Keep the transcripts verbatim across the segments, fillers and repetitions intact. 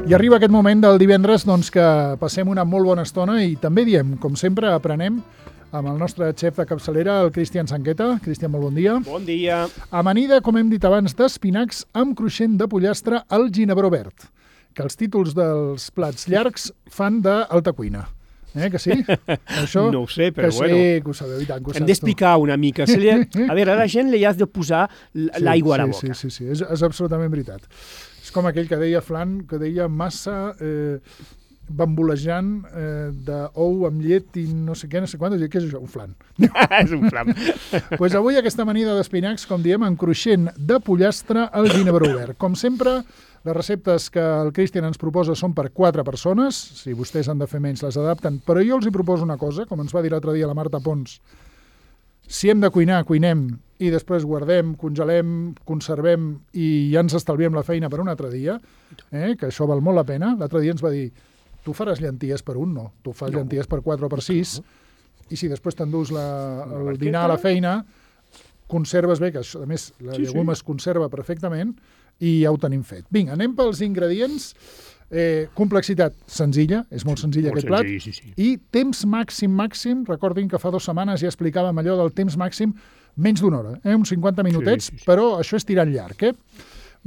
I arriba aquest moment del divendres doncs, que passem una molt bona estona i també diem, com sempre, aprenem amb el nostre xef de capçalera, el Cristian Sanqueta. Cristian, molt bon dia. Bon dia. Amanida, com hem dit abans, d'espinacs amb cruixent de pollastre al ginebró verd, que els títols dels plats llargs fan d'alta cuina. Eh, que sí? Això, no ho sé, però que bueno. Sí, que ho sabeu, i tant, que ho Hem saps d'explicar una mica. Se li... A veure, a la gent li has de posar l'aigua sí, a la boca. Sí, sí, sí, és, és absolutament veritat. És com aquell que deia Flan, que deia massa eh, bambolejant eh, d'ou amb llet i no sé què, no sé quant. Què és això? Un flan. És un flam. Pues avui aquesta amanida d'espinacs, com diem, amb cruixent de pollastre al ginebró verd. Com sempre, les receptes que el Cristian ens proposa són per quatre persones. Si vostès han de fer menys, les adapten. Però jo els hi proposo una cosa, com ens va dir l'altre dia la Marta Pons. Si hem de cuinar, cuinem i després guardem, congelem, conservem i ja ens estalviem la feina per un altre dia, eh, que això val molt la pena. L'altre dia ens va dir, tu faràs llenties per un, no. Tu fas no. llenties per quatre o per sis i si després t'endús la, el dinar a la feina, conserves bé, que a més la sí, llegum sí. es conserva perfectament i ja ho tenim fet. Vinga, anem pels ingredients. Eh, complexitat senzilla, és molt senzill molt aquest senzill, plat, sí, sí. I temps màxim, màxim, recordin que fa dues setmanes ja explicàvem allò del temps màxim, menys d'una hora, eh? uns cinquanta minutets, sí, sí, sí. Però això és tirant llarg. Eh?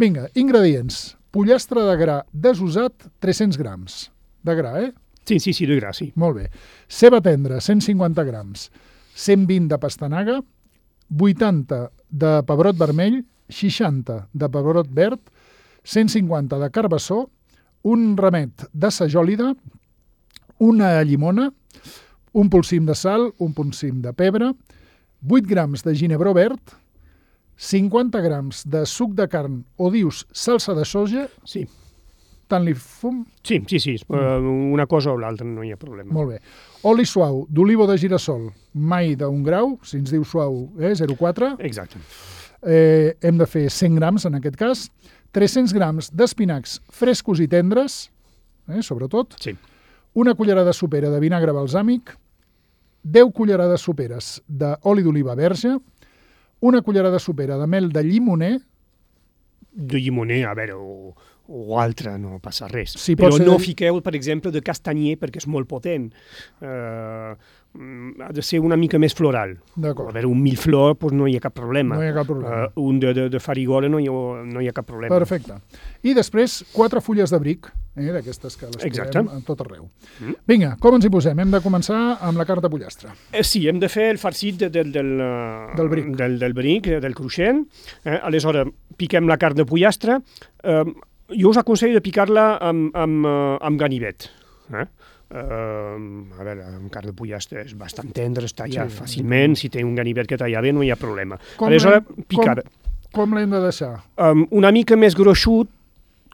Vinga, ingredients. Pollastre de gra desusat, tres-cents grams. De gra, eh? Sí, sí, sí, de gra, sí. Molt bé. Ceba tendra, cent cinquanta grams. cent vint de pastanaga, vuitanta de pebrot vermell, seixanta de pebrot verd, cent cinquanta de carbassó, un ramet de sajòlida, una llimona, un polsim de sal, un polsim de pebre, vuit grams de ginebró verd, cinquanta grams de suc de carn o dius salsa de soja. Sí. Tant li fum? Sí, sí, sí. Mm. Una cosa o l'altra, no hi ha problema. Molt bé. Oli suau d'oliva o de girassol, mai d'un grau, si ens diu suau, eh, zero coma quatre. Exacte. Eh, hem de fer cent grams, en aquest cas. tres-cents grams d'espinacs frescos i tendres, eh, sobretot. Sí. Una cullerada sopera de vinagre balsàmic, deu cullerades soperes d'oli d'oliva verge, una cullerada sopera de mel de llimoner. De llimoner, a veure, o, o altre, no passa res. Sí, però ser... no fiqueu, per exemple, de castanyer perquè és molt potent. Uh, ha de ser una mica més floral. D'acord. A veure, un milleflor doncs no hi ha cap problema. No hi ha cap problema. Uh, un de, de, de farigola no hi, ha, no hi ha cap problema. Perfecte. I després, quatre fulles de bric, eh, d'aquestes que les Exacte. posem a tot arreu. Mm. Vinga, com ens hi posem? Hem de començar amb la carn de pollastre. Eh, sí, hem de fer el farcit de, de, del, del bric, del, del, bric, del cruixent. Eh, aleshores, piquem la carn de pollastre. Eh, jo us aconsello de picar-la amb, amb, amb ganivet. Eh? Uh, a veure, amb carn de pollastre és bastant tendre, es talla sí, fàcilment, sí. Si té un ganivet que talla bé no hi ha problema. Com aleshores, picar. Com, com l'hem de deixar? Um, una mica més gruixut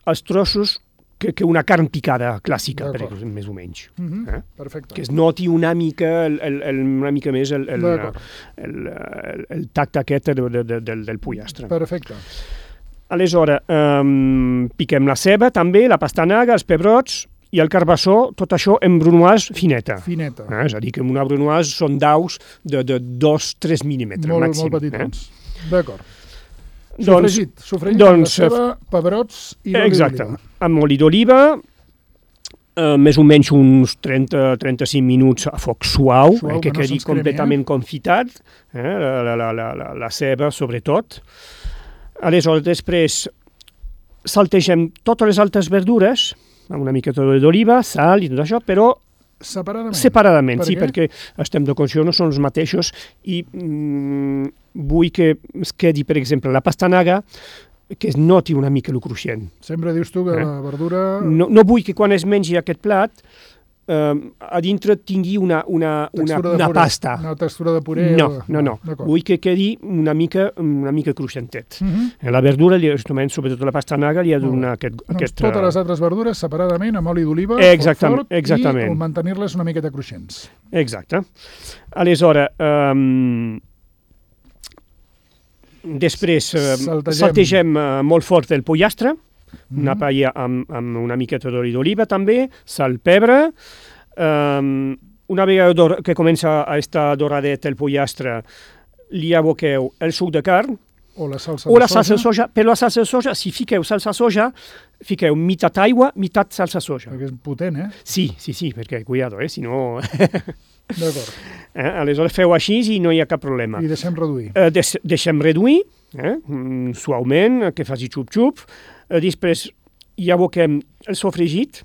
els trossos que, que una carn picada clàssica, per exemple, més o menys. Uh-huh. eh? Perfecte. Que es noti una mica, el, el, el, una mica més el, el, el, el, el tacte aquest de, de, de, del, del pollastre. Perfecte. Aleshores, um, piquem la ceba també, la pastanaga, els pebrots, i el carbassó, tot això en brunoise fineta. Fineta. Eh? És a dir, que una brunoise són daus de, de dos a tres mil·límetres molt, màxim. Molt petitons. Eh? D'acord. Doncs, sofregit. Sofregit doncs, amb la ceba, pebrots i l'oli exacte. d'oliva. Amb oli d'oliva, eh, més o menys uns trenta a trenta-cinc minuts a foc suau, suau eh, que, que no quedi completament eh? confitat, eh? la, la, la, la, la ceba sobretot. Aleshores, després saltegem totes les altres verdures, amb una mica d'oliva, sal i tot això, però separadament, separadament per sí, què? Perquè estem de consciència, no són els mateixos i mm, vull que es quedi, per exemple, la pastanaga, que es noti una mica el cruixent. Sempre dius tu que eh? la verdura... No, no vull que quan es mengi aquest plat eh, a dintre tingui una, una, una, una pasta. Una textura de puré. No, o... no, no. Vull que quedi una mica, una mica cruixentet. Uh-huh. La verdura, sobretot la pastanaga, li ha de donar aquest, doncs aquest... Totes les altres verdures separadament, amb oli d'oliva, exactament, fort, exactament. I mantenir-les una miqueta cruixents. Exacte. Aleshores, um, després uh, saltegem, saltegem uh, molt fort el pollastre, mm-hmm. una paella amb, amb una miqueta d'oli d'oliva també, sal, pebre. Um, una vegada que comença a estar doradet el pollastre, li aboqueu el suc de carn, O la salsa o de la salsa de soja. soja. Però la salsa de soja, si fiqueu salsa de soja, fiqueu meitat aigua, meitat salsa de soja. Perquè és potent, eh? Sí, sí, sí, perquè, cuidado, eh, si no... D'acord. eh, aleshores feu així i no hi ha cap problema. I deixem reduir. Eh, deix deixem reduir, eh, mm, suaument, que faci xup-xup. Eh, després ja aboquem el sofregit,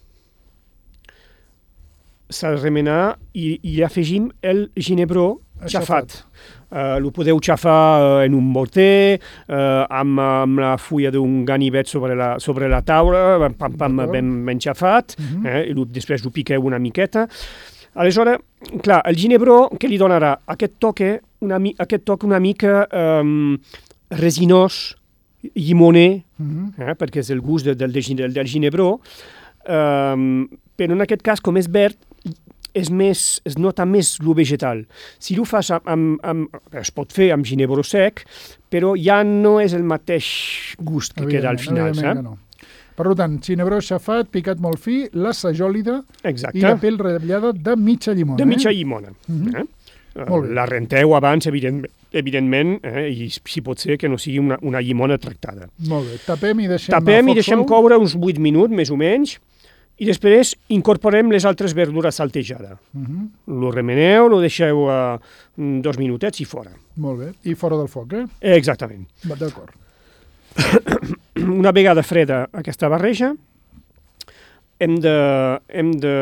s'ha de remenar i, i hi afegim el ginebró xafat. Uh, lo podeu xafar uh, en un morter, uh, amb, amb la fulla d'un ganivet sobre la, sobre la taula, pam, pam, ben, ben xafat, uh -huh. eh, i lo, després ho piqueu una miqueta. Aleshores, clar, el ginebró que li donarà aquest toque una, aquest toc una mica um, resinós, llimoner, uh -huh. eh, perquè és el gust de, del, del, del ginebró, um, però en aquest cas, com és verd, és més, es nota més lo vegetal. Si ho fas amb, amb, amb... es pot fer amb ginebró sec, però ja no és el mateix gust que queda al final. Eh? No. Per tant, ginebró xafat, picat molt fi, la sajòlida Exacte. I la pell ratllada de mitja llimona. De mitja eh? llimona. Mm-hmm. eh? Uh, la renteu abans, evident, evidentment, eh? I si pot ser que no sigui una, una llimona tractada. Molt bé. Tapem i deixem Tapem i deixem suau. coure uns vuit minuts, més o menys, i després incorporem les altres verdures saltejades. Uh-huh. Lo remeneu, lo deixeu uh, dos minutets i fora. Molt bé. I fora del foc, eh? Exactament. D'acord. Una vegada freda aquesta barreja, hem de... Hem de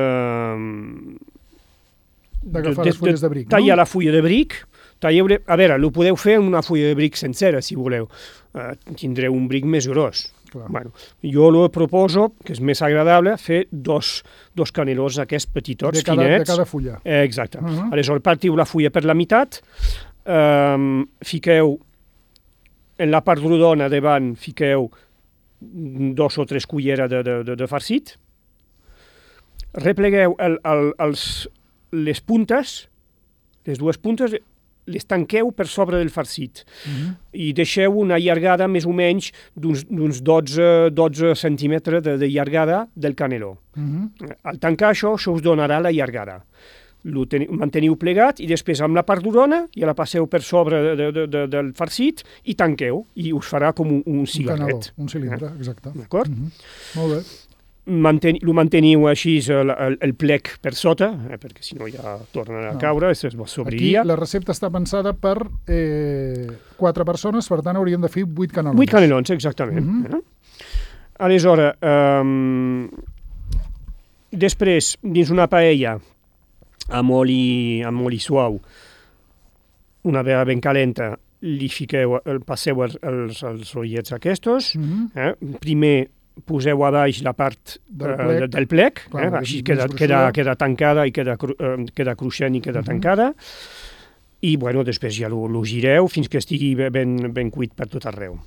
d'agafar les fulles de bric, no? Tallar la fulla de bric. Talleu, a veure, ho podeu fer amb una fulla de bric sencera, si voleu. Uh, tindreu un bric més gros. Bueno, jo lo proposo, que és més agradable, fer dos, dos canelons aquests petitots, de cada, finets. De cada fulla. Eh, exacte. Uh -huh. Aleshores, partiu la fulla per la meitat, um, fiqueu en la part rodona davant, fiqueu dos o tres culleres de, de, de, de farcit, replegueu el, el, els, les puntes, les dues puntes, les tanqueu per sobre del farcit uh-huh. i deixeu una llargada més o menys d'uns dotze, dotze centímetres de, de llargada del caneló. Uh-huh. Al tancar això, això us donarà la llargada. Lo teniu, manteniu plegat i després amb la part rodona ja la passeu per sobre de, de, de, del farcit i tanqueu i us farà com un, un cigarret. Un caneló, un cilindre, eh? Exacte. D'acord? Uh-huh. Molt bé. Manten, lo manteniu així el, el, el plec per sota, eh, perquè si no ja torna a no. caure, es sobriria. Aquí la recepta està pensada per eh, quatre persones, per tant hauríem de fer vuit canelons. Vuit canelons, exactament. Uh-huh. eh? Aleshores, um, després, dins una paella, amb oli, amb oli suau, una vegada ben calenta, li fiqueu, el, passeu els, els, els oliets aquests, uh-huh. eh? Primer poseu a baix la part del plec, uh, del plec clar, eh? Així queda, queda, queda tancada i queda, uh, queda cruixent i queda uh-huh. tancada, i bueno, després ja lo, lo gireu fins que estigui ben, ben cuit per tot arreu.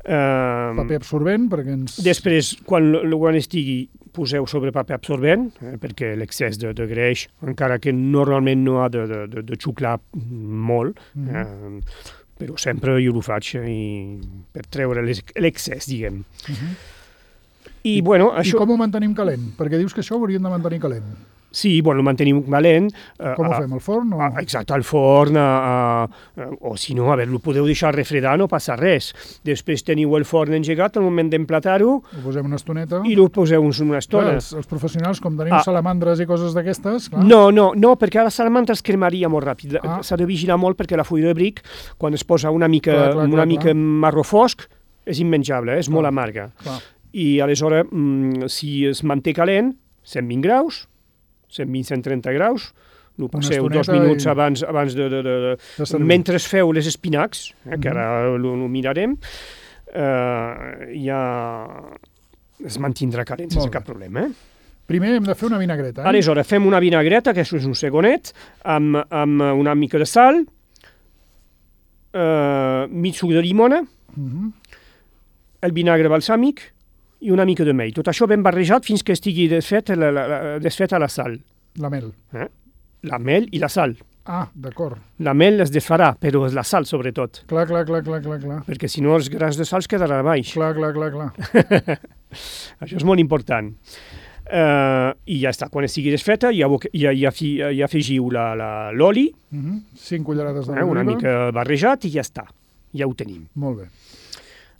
Uh, paper absorbent, perquè ens... Després, quan, quan estigui, poseu sobre paper absorbent, eh, perquè l'excés de, de greix, encara que normalment no ha de, de, de, de xuclar molt, uh-huh. eh, però sempre jo ho faig i per treure l'excés, diguem. Uh-huh. I, I, bueno, això... I com ho mantenim calent? Perquè dius que això ho hauríem de mantenir calent. Sí, bueno, ho mantenim calent. Com ho fem, al forn? O... Exacte, al forn, a, a, o si no, a veure, ho podeu deixar refredar, no passa res. Després teniu el forn engegat, al moment d'emplatar-ho... Ho posem una estoneta. I ho poseu una estona. Clar, els, els professionals, com tenim ah. salamandres i coses d'aquestes... No, no, no, perquè a la salamandra es cremaria molt ràpid. Ah. S'ha de vigilar molt perquè la fulla de bric, quan es posa una mica, clar, clar, una clar, mica clar. marró fosc, és immenjable, és clar. molt amarga. Clar. I aleshores, mm, si es manté calent, cent vint graus, cent vint a cent trenta graus, ho passeu dos minuts i... abans, abans de, de, de, de mentre feu les espinacs, eh, que ara ho mirarem, eh, ja es mantindrà calent sense cap problema. Eh? Primer hem de fer una vinagreta. Eh? Aleshores, fem una vinagreta, que això és un segonet, amb, amb una mica de sal, eh, mig suc de llimona, uh-huh. el vinagre balsàmic, i una mica de mel. Tot això ben barrejat fins que estigui desfet la, la, la, desfeta la sal. La mel. Eh? La mel i la sal. Ah, d'acord. La mel es desfarà, però és la sal sobretot. Clar, clar, clar, clar, clar, clar. Perquè si no els grans de sal es quedaran a baix. Clar, clar, clar, clar. Això és molt important. Uh, I ja està. Quan estigui desfeta, ja, ja, ja, ja afegiu l'oli. Uh-huh. Cinc cullerades d'oliva. Eh? Una mica barrejat i ja està. ja ho tenim. Molt bé.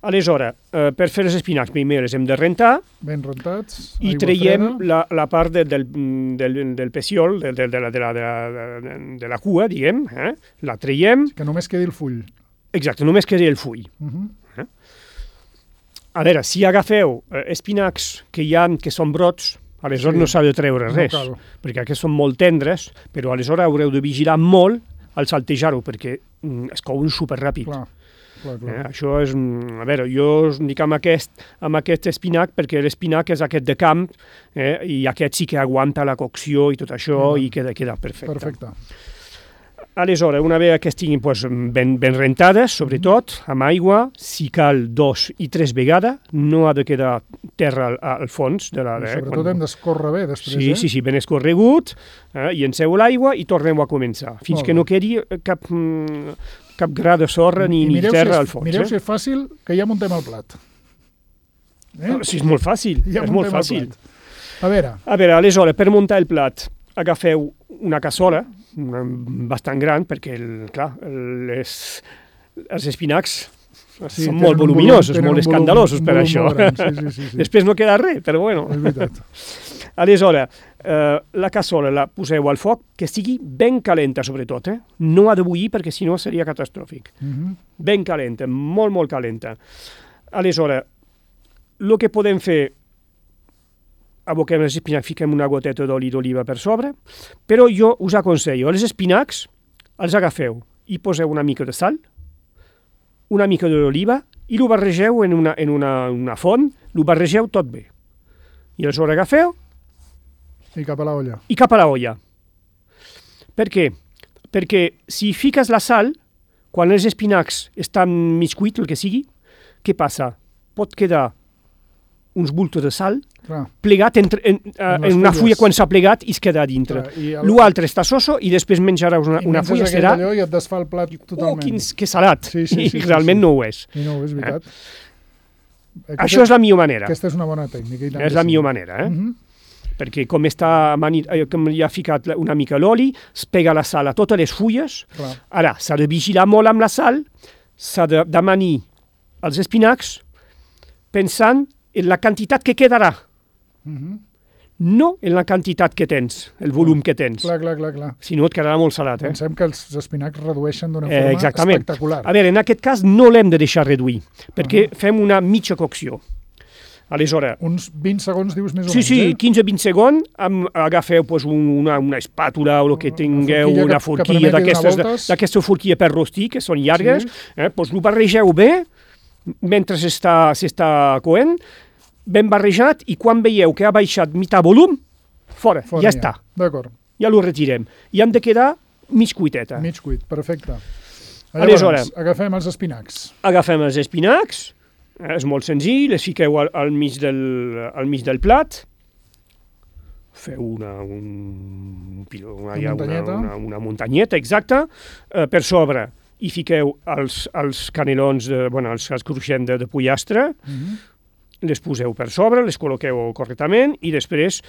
Aleshores, eh, per fer els espinacs primer els hem de rentar Ben rentats, i aigua traiem freda. la, la part de, del, del, del peciol, de, de, de, la, de, la, de, la, de, de la cua, diguem, eh? La traiem, Que només quedi el full. exacte, només queda el full. Uh -huh. A veure, si agafeu eh, espinacs que hi ha, que són brots, aleshores Sí. no s'ha de treure No res, cal. perquè aquests són molt tendres, però aleshores haureu de vigilar molt al saltejar-ho, perquè mm, es couen superràpid. Clar, clar, clar. Eh, això és, mm, a veure, jo us dic amb aquest, amb aquest espinac, perquè l'espinac és aquest de camp, eh, i aquest sí que aguanta la cocció i tot això, Mhm. i queda, queda perfecte. Perfecte. Aleshores, una vegada que estiguin pues, ben, ben rentades, sobretot, amb aigua, si cal dos i tres vegades, no ha de quedar terra al, al fons de la... I Eh, sobretot quan- hem d'escórrer bé després, Sí, eh? sí, sí, ben escorregut, eh, i enceu l'aigua i tornem a començar, fins Molt que bé. no quedi cap, mm, cap gra de sorra ni, I ni mireu terra si al és, fons. mireu eh? si és fàcil, que ja muntem el plat. Eh? Ah, sí, és molt fàcil, Ja és molt muntem el fàcil. plat. A veure, A veure, aleshores, per muntar el plat, agafeu una cassola, una, bastant gran, perquè, el, clar, les, els espinacs sí, són tenen molt un volum- voluminosos, tenen molt un volum- escandalosos un per volum això. molt gran, Sí, sí, sí, sí. Després no queda res, però bueno. És veritat. Aleshores, eh, la cassola la poseu al foc, que estigui ben calenta, sobretot. Eh? No ha de bullir, perquè si no seria catastròfic. Uh -huh. Ben calenta, molt, molt calenta. Aleshores, el que podem fer, aboquem els espinacs, fiquem una goteta d'oli d'oliva per sobre, però jo us aconsello, els espinacs els agafeu i poseu una mica de sal, una mica d'oliva, i ho barregeu en una, en una, una font, ho barregeu tot bé. I aleshores agafeu I cap a la olla. i cap a la olla. Per què? Perquè si fiques la sal, quan els espinacs estan mig cuits, el que sigui, què passa? Pot quedar uns bultos de sal Clar, plegat entre, en, en, En les en una fulles. fulla quan s'ha plegat i es queda a dintre. clar. I el- L'altre està soso i després menjaràs una, i una menges fulla, aquell serà... allò i et desfà el plat Oh, totalment. quin, que salat! Sí, sí, I sí, sí, realment sí. no ho és. I no, és veritat. Aquesta, Això és la millor manera. Aquesta és una bona tècnica. I tant És que la sí. millor manera, eh? Uh -huh. Perquè com, està mani, eh, com hi ha ficat una mica l'oli, es pega la sal a totes les fulles. Clar. Ara, s'ha de vigilar molt amb la sal, s'ha de d'amanir els espinacs pensant en la quantitat que quedarà, Uh -huh. no en la quantitat que tens, el volum que tens. Clar, clar, clar, clar. Si no, et quedarà molt salat, eh? Pensem que els espinacs redueixen d'una Eh, forma exactament. espectacular. A veure, en aquest cas no l'hem de deixar reduir, perquè fem una mitja cocció. Aleshores, Uns vint segons, dius, més o sí, menys, sí, eh? quinze a vint segons, amb, agafeu pues, un, una, una espàtula o el que tingueu, forquilla que- una que forquilla permeti donar d'aquestes voltes. d'aquesta forquilla per rostir, que són llargues, Sí. eh, pues, ho barregeu bé, mentre s'està s'està coent, ben barrejat, i quan veieu que ha baixat mitjà volum, fora, Fora ja està, D'acord, ja l'ho retirem. I han de quedar mig cuiteta. mig cuit, perfecte. Aleshores- agafem els espinacs. Agafem els espinacs, eh, és molt senzill, les fiqueu al, al, mig, del, al mig del plat, feu una, un, una, Una una, muntanyeta. una, una muntanyeta, exacte, eh, per sobre hi fiqueu els, els canelons, de, bueno, els, els cruixents de, de pollastre, Uh -huh. les poseu per sobre, les col·loqueu correctament i després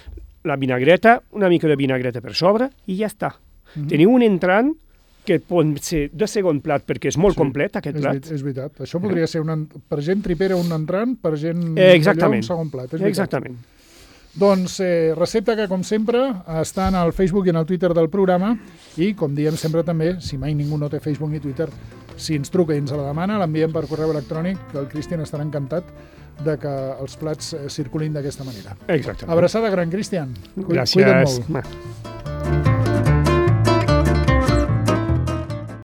la vinagreta, una mica de vinagreta per sobre i ja està. Mhm. Teniu un entrant que pot ser de segon plat perquè és molt Sí, complet aquest És, plat. veri- és veritat. Això podria ser un, en- per gent tripera un entrant, per gent Eh, exactament. d'allò un segon plat. És veritat. Exactament. Doncs eh, recepta que, com sempre, està en el Facebook i en el Twitter del programa i, com diem sempre també, si mai ningú no té Facebook ni Twitter, si ens truca i ens la demana, l'enviem per correu electrònic, que el Cristian estarà encantat de que els plats eh, circulin d'aquesta manera. Exactament. Abraçada gran, Cristian. Cu- Gràcies. Cuida't molt. Ma.